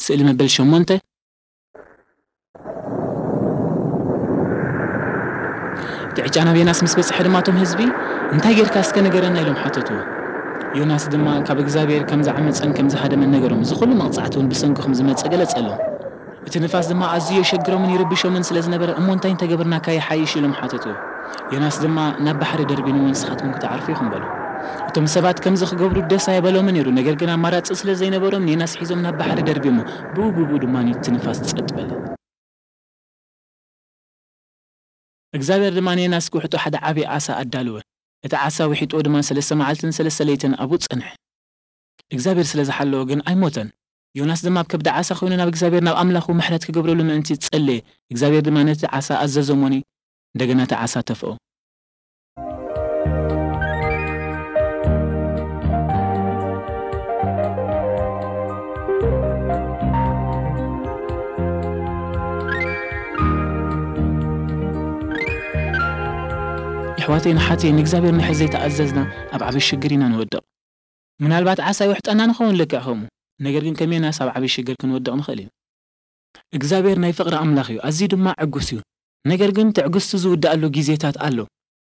ስእሊ መበል ሸሞንተ። እቲ ዕጫ ናብ ዮናስ ምስ በጽሐ ድማ እቶም ህዝቢ፣ "እንታይ ጌርካ እስከ ንገረና?" ኢሎም ሓተትዎ። ዮናስ ድማ ካብ እግዚኣብሔር ከም ዝዓመጸን ከም ዝሃደመን ነገሮም። እዚ ኩሉ መቕጻዕቲ እውን ብሰንክኹም ዝመጸ ገለጸሎም። እቲ ንፋስ ድማ ኣዝዩ የሸግሮምን ይርብሾምን ስለ ዝነበረ፣ "እሞ እንታይ እንተገበርናካ ይሓይሽ?" ኢሎም ሓተትዎ። ዮናስ ድማ፣ "ናብ ባሕሪ ደርቢንዎ ንስኻትኩም ክትዓርፉ ኢኹም" በሎ። እቶም ሰባት ከምዚ ክገብሩ ደስ ኣይበሎምን ነይሩ፣ ነገር ግን ኣማራጺ ስለ ዘይነበሮም ንዮናስ ሒዞም ናብ ባሕሪ ደርቢሞ፣ ብኡ ብኡ ድማ እቲ ንፋስ ጸጥ በለ። እግዚኣብሔር ድማ ንዮናስ ክውሕጦ ሓደ ዓቢ ዓሳ ኣዳልወ። እቲ ዓሳ ውሒጥዎ ድማ ሰለስተ መዓልትን ሰለስተ ለይትን ኣብኡ ጸንሐ። እግዚኣብሔር ስለ ዝሓለዎ ግን ኣይሞተን። ዮናስ ድማ ኣብ ከብዲ ዓሳ ኮይኑ ናብ እግዚኣብሔር፣ ናብ ኣምላኹ ምሕረት ክገብረሉ ምእንቲ ጸለየ። እግዚኣብሔር ድማ ነቲ ዓሳ ኣዘዞ እሞኒ፣ እንደገና እቲ ዓሳ ተፍኦ። የሕዋተይን ኣሓተይን፣ ንእግዚኣብሔር ንድሕር ዘይተኣዘዝና ኣብ ዓቢ ሽግር ኢና ንወድቕ። ምናልባት ዓሳ ይውሕጠና ንኸውን ልክዕ ከምኡ፣ ነገር ግን ከም ዮናስ ኣብ ዓቢ ሽግር ክንወድቕ ንኽእል ኢና። እግዚኣብሔር ናይ ፍቕሪ ኣምላኽ እዩ፣ ኣዝዩ ድማ ዕጉስ እዩ። ነገር ግን ትዕግስቱ ዝውድኣሉ ግዜታት ኣሎ።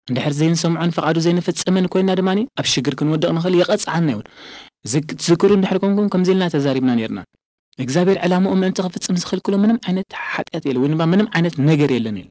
እንድሕር ዘይንሰምዖን ፍቓዱ ዘይንፍጽምን ኮይንና ድማ ኣብ ሽግር ክንወድቕ ንኽእል፣ ይቐጽዓና እውን። ዝክ-፣ ትዝክሩ እንድሕር ኮንኩም ከምዚ ኢልና ተዛሪብና ነይርና። እግዚኣብሔር ዕላምኡ ምእንቲ ክፍጽም ዝኽልክሎ ምንም ዓይነት ሓጢኣት የለን፣ ወይ ድማ ምንም ዓይነት ነገር የለን ኢሉ።